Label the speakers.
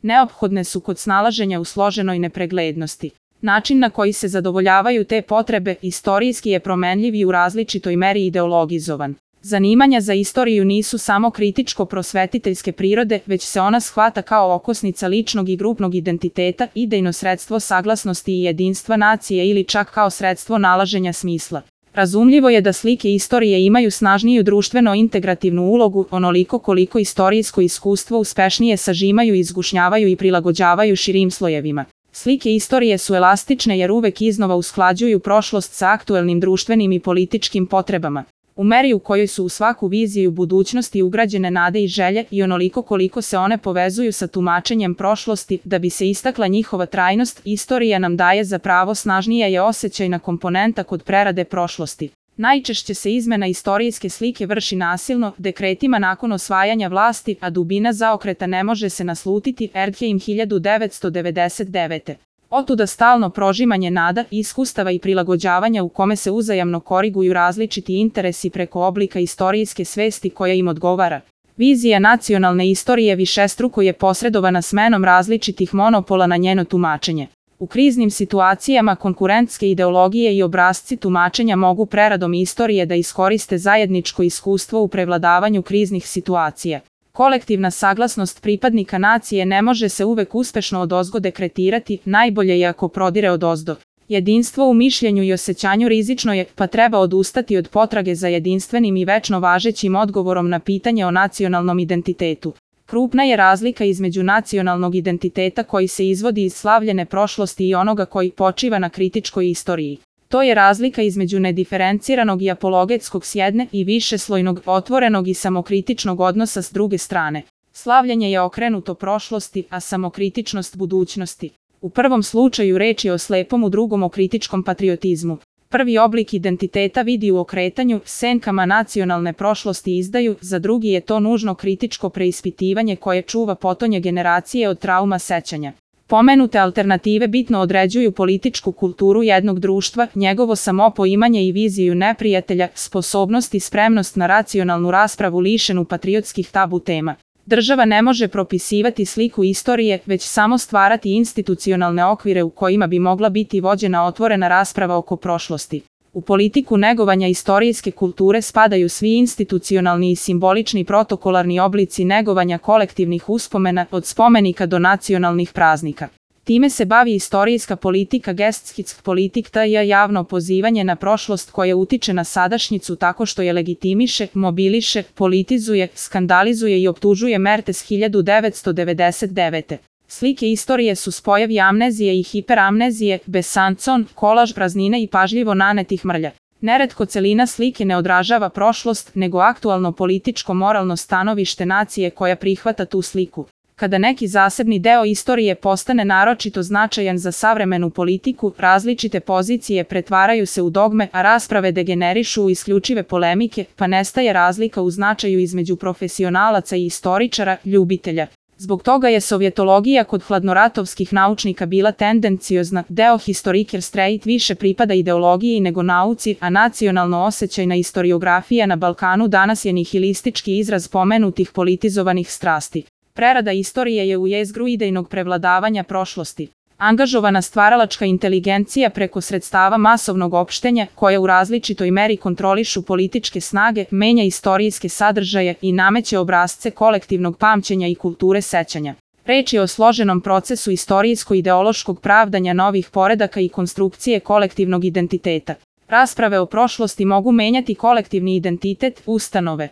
Speaker 1: Neophodne su kod snalaženja u složenoj nepreglednosti. Način na koji se zadovoljavaju te potrebe istorijski je promenljiv i u različitoj meri ideologizovan. Zanimanja za istoriju nisu samo kritičko-prosvetiteljske prirode, već se ona shvata kao okosnica ličnog i grupnog identiteta, idejno sredstvo saglasnosti i jedinstva nacije ili čak kao sredstvo nalaženja smisla. Razumljivo je da slike istorije imaju snažniju društveno-integrativnu ulogu, onoliko koliko istorijsko iskustvo uspešnije sažimaju, izgušnjavaju i prilagođavaju širim slojevima. Slike istorije su elastične jer uvek iznova usklađuju prošlost sa aktuelnim društvenim i političkim potrebama. U meri u kojoj su u svaku viziju budućnosti ugrađene nade i želje i onoliko koliko se one povezuju sa tumačenjem prošlosti, da bi se istakla njihova trajnost, istorija nam daje za pravo snažnija je osjećajna komponenta kod prerade prošlosti. Najčešće se izmena istorijske slike vrši nasilno, dekretima nakon osvajanja vlasti, a dubina zaokreta ne može se naslutiti. Erdheim 1999. Otuda stalno prožimanje nada, iskustava i prilagođavanja u kome se uzajamno koriguju različiti interesi preko oblika istorijske svesti koja im odgovara. Vizija nacionalne istorije višestruko je posredovana smenom različitih monopola na njeno tumačenje. U kriznim situacijama konkurentske ideologije i obrasci tumačenja mogu preradom istorije da iskoriste zajedničko iskustvo u prevladavanju kriznih situacija. Kolektivna saglasnost pripadnika nacije ne može se uvek uspešno odozgo dekretirati, najbolje je ako prodire odozdo. Jedinstvo u mišljenju i osjećanju rizično je, pa treba odustati od potrage za jedinstvenim i večno važećim odgovorom na pitanje o nacionalnom identitetu. Krupna je razlika između nacionalnog identiteta koji se izvodi iz slavljene prošlosti i onoga koji počiva na kritičkoj istoriji. To je razlika između nediferenciranog i apologetskog s jedne i višeslojnog, otvorenog i samokritičnog odnosa s druge strane. Slavljenje je okrenuto prošlosti, a samokritičnost budućnosti. U prvom slučaju reč je o slepom, u drugom o kritičkom patriotizmu. Prvi oblik identiteta vidi u okretanju, senkama nacionalne prošlosti izdaju, za drugi je to nužno kritičko preispitivanje koje čuva potonje generacije od trauma sećanja. Pomenute alternative bitno određuju političku kulturu jednog društva, njegovo samopoimanje i viziju neprijatelja, sposobnost i spremnost na racionalnu raspravu lišenu patriotskih tabu tema. Država ne može propisivati sliku istorije, već samo stvarati institucionalne okvire u kojima bi mogla biti vođena otvorena rasprava oko prošlosti. U politiku negovanja istorijske kulture spadaju svi institucionalni i simbolični protokolarni oblici negovanja kolektivnih uspomena, od spomenika do nacionalnih praznika. Time se bavi istorijska politika, Geschichtpolitik, to je javno pozivanje na prošlost koje utiče na sadašnjicu tako što je legitimiše, mobiliše, politizuje, skandalizuje i optužuje. Mertes 1999. Slike istorije su spojevi amnezije i hiperamnezije, besancon, kolaž praznine i pažljivo nanetih mrlja. Neretko celina slike ne odražava prošlost, nego aktualno političko-moralno stanovište nacije koja prihvata tu sliku. Kada neki zasebni deo istorije postane naročito značajan za savremenu politiku, različite pozicije pretvaraju se u dogme, a rasprave degenerišu u isključive polemike, pa nestaje razlika u značaju između profesionalaca i istoričara, ljubitelja. Zbog toga je sovjetologija kod hladnoratovskih naučnika bila tendenciozna, deo Historiker Streit više pripada ideologiji nego nauci, a nacionalno osjećajna istoriografija na Balkanu danas je nihilistički izraz pomenutih politizovanih strasti. Prerada istorije je u jezgru idejnog prevladavanja prošlosti. Angažovana stvaralačka inteligencija preko sredstava masovnog opštenja, koja u različitoj meri kontrolišu političke snage, menja istorijske sadržaje i nameće obrasce kolektivnog pamćenja i kulture sećanja. Reč je o složenom procesu istorijsko-ideološkog pravdanja novih poredaka i konstrukcije kolektivnog identiteta. Rasprave o prošlosti mogu menjati kolektivni identitet, ustanove.